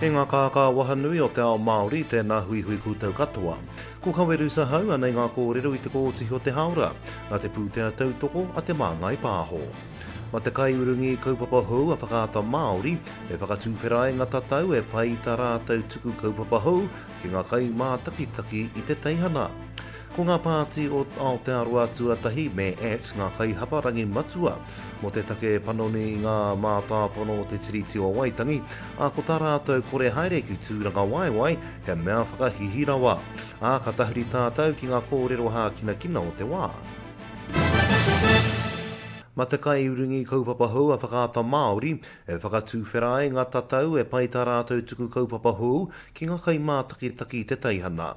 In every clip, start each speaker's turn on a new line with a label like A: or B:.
A: E ngā kākā wahanui o te ao Māori, tēnā huihui koutou katoa. Ko Kaweru Sahau anei ngā kōrero i te kōtihi o te hāora, nā te pūtea tautoko a Te Māngai Pāho. Ma te kaiurungi kaupapa hou a Whakaata Māori e whakatuwhera ai ngā tatau e pai i tā rātou tuku kaupapa hou ki ngā kaimātakitaki i te teihana. Ko ngā pāti o Aotearoa Tuatahi me act ngā kaihaparangi matua mō te take panoni i ngā mātāpono o te Tiriti o Waitangi, ā, ko tā rātou kore haere ki Tūrangawaewae he mea whakahihi rawa. Ā, ka tahuri tātou ki ngā kōrero hākinakina o te wā. Ma te kaiurungi kaupapa hou a Whakaata Māori e whakatuwhera ai ngā tatau e pai tā rātou tuku kaupapa hou ki ngā kaimātakitaki i te teihana.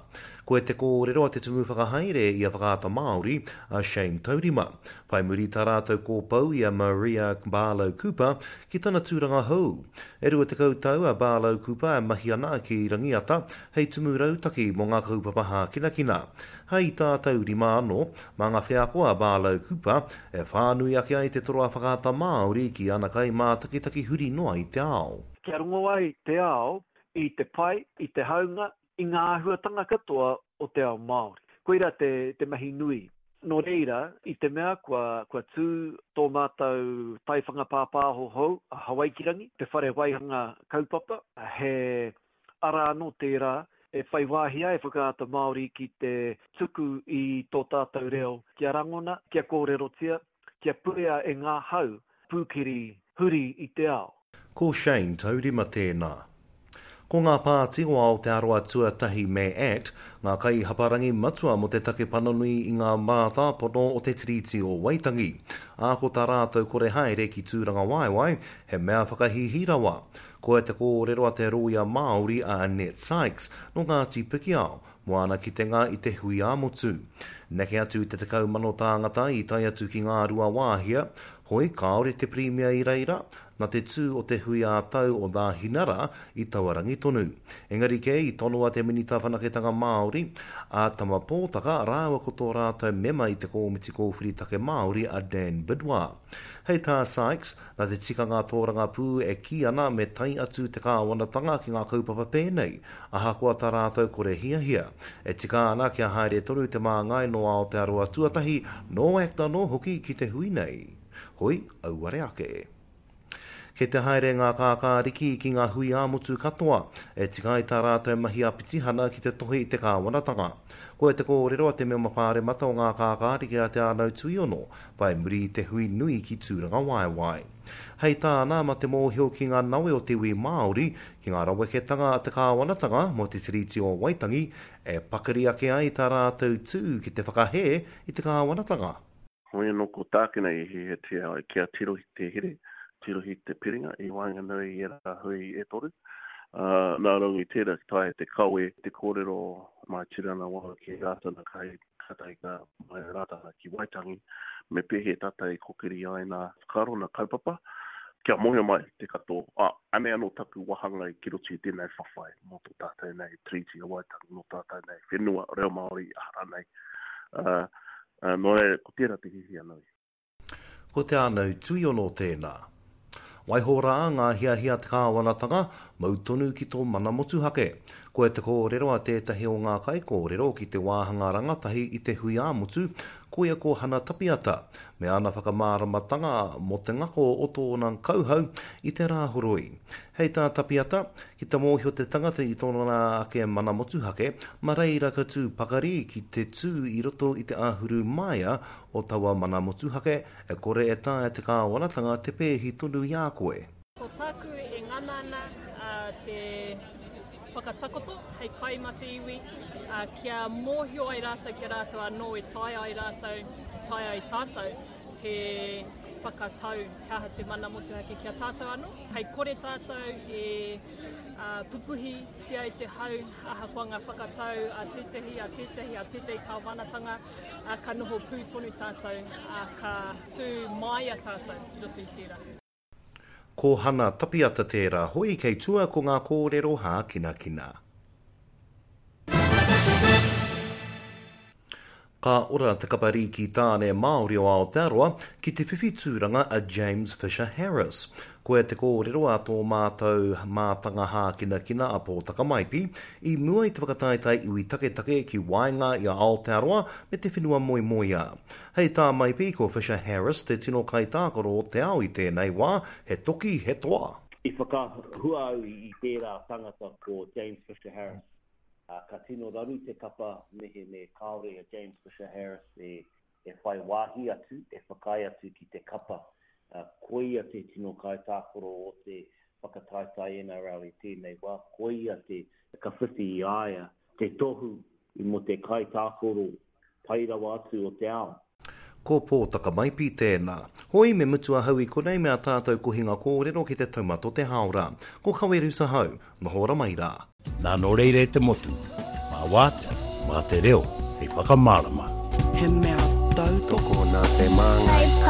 A: Koe te kōrero a te Tumu Whakahaere i a Whakaata Māori, a Shane Taurima. Whai muri tā rātou kōpou i a Maria Barlow Cooper ki tana tūranga hou. E 20 tau a Barlow Cooper e mahi ana ki Rangiata hei tumu rautaki mō ngā kaupapa hākinakina. Hei tā Taurima anō, mā ngā wheako a Barlow Cooper e whānui ake ai te toro a Whakaata Māori ki ana kaimātakitaki huri noa i te ao.
B: Kia rongo ai te ao i te pai, i te haunga, i ngā āhuatanga katoa o te ao Māori. Koirā te, te mahi nui. Nō reira, i te mea kua, kua tū tō mātou taiwhanga pāpāho hou, a Hawaikirangi, te whare waihanga kaupapa, he ara anō tērā e whai wāhi ai Whakaata Māori ki te tuku i tō tātou reo kia rangona, kia kōrerotia, kia purea e ngā hau pūkeri huri i te ao.
A: Ko Shane Taurima tēnā. Ko ngā pāti o Aotearoa Tuatahi me act ngā kaihaparangi matua mō te take panoni i ngā mātāpono o te Tiriti o Waitangi, ā, ko tā rātou kore haere ki Tūrangawaewae he mea whakahīhī rawa. Koia te kōrero a te rōia Māori a Annette Sykes, nō Ngāti Pikiao, mō āna kitenga i te hui ā-motu. Neke atu i te 10,000 tāngata i tae atu ki Ngāruawāhia, hoi kāore te Pirimia i reira, nā te tū o te hui ā-tau o Nāhinara i taua rangi tonu. Engari kē i tonoa te Minita Whanaketanga Māori, a Tama Pōtaka rāua ko tō rātou mema i te Kōmiti Kōwhiri Take Māori a Dan Bidois. Hei tā Sykes, Nā te tikanga tōrangapū e kī ana me tae atu te kāwanatanga ki ngā kaupapa pēnei, ahakoa tā rātou kore hiahia. E tika ana kia haere tonu te māngai nō Aotearoa tuatahi, nō act anō hoki ki te hui nei. Hoi, auare ake. Kei te haere ngā kākāriki ki ngā hui ā-motu katoa, e tika ai tā rātou mahi ā-pitihana ki te tohe i te kāwanatanga. Koia te kōrero a te Mema Pāremata o Ngā Kākāriki a Te Ānau Tuiono, whai muri i te hui nui ki Tūrangawaewae. Hei tāna, ma te mōhio ki ngā nawe o te iwi Māori, ki ngā raweketanga a te kāwanatanga mō te Tiriti o Waitangi, e pakari ake ai tā rātou tū ki te whakahē i te kāwanatanga.
C: Hoi anō ko tākina i hiahiatia ai kia tirohi te here, tirohi te piringa i waenganui i ērā hui e toru. Ā, nā runga i tērā ki taea te kawe te kōrero mai Tūrangawaewae ki Rātana kai Kātahi ka mai a Rātana ki Waitangi, me pēhea tātou e kokiri ai nā whakaaro, nā kaupapa, kia mōhio mai te katoa, ā, anei anō taku wāhanga ki roto i tēnei whawhai mō tō tātou nei Tiriti o Waitangi, mō tātou nei whenua, reo Māori, aha rānei. Ā, nō reira, ko tērā te hiahia nui.
A: Ko Te Ānau Tuiono tēnā. Waiho rā ngā hiahia a te kāwanatanga, mau tonu ki tō mana motuhake. Koia te kōrero a tētahi o ngā kaikōrero ki te wāhanga rangatahi i te hui ā-motu, koia ko Hana Tapiata, me ana whakamāramatanga mō te ngako o tōna kauhau i te Rāhoroi. Hei tā Tapiata, ki te mōhio te tangata i tōna ake mana motuhake, ma reira ka tū pakari ki te tū i roto i te āhuru māia o taua mana motuhake, e kore e taea te kāwanatanga te pēhi tonu i a koe.
D: Ko tāku e ngana ana te whakatakoto hei kai mā te iwi, kia mōhio ai rātou ki a rātou anō e taea ai rātou, taea ai tātou te whakatau he aha te mana motuhake ki a tātou anō. Kei kore tātou e pupuhitia e te hau ahakoa ngā whakatau a tētahi, a tētahi, a tētahi kāwanatanga. ā, ka noho pū tonu tātou, ā, ka tū māia tātou i roto i tērā.
A: Ko Hana Tapiata tērā, hoi kei tua ko ngā kōrero hākinakina. Ka ora te kapa rīki tāne Māori o Aotearoa ki te whiwhi tūranga a James Fisher Harris. Koia te kōrero a tō mātou mātanga hākinakina a Pōtaka Maipi i mua i te whakataetae iwi taketake ki waenga i a Aotearoa me te whenua moemoeā. Hei tā Maipi ko Fisher Harris te tino kaitākaro o te ao i tēnei wā, he toki, he toa.
E: I whakahua au i tērā tangata ko James Fisher Harris. Ā, ka tino raru te kapa mehemē kāore a James Fisher Harris e, e whai wāhi atu, e whakaae atu ki te kapa. Ā, koia te tino kaitākaro o te whakataetae NRL i tēnei wā, koia te, ka whiwhi i a ia te tohu i mō te kaitākaro pai rawa atu o te ao.
A: Ko Pōtaka Maipi tēnā. Hoi, me mutu ahau i konei me a tātou kohinga kōrero ki te taumata o te hāora. Ko Kawerusa hau. Noho ora mai rā.
F: Nā nō reira e te motu, mā wātea, mā te reo hei whakamārama.
G: He mea tautoko.
H: Tokona te māngai.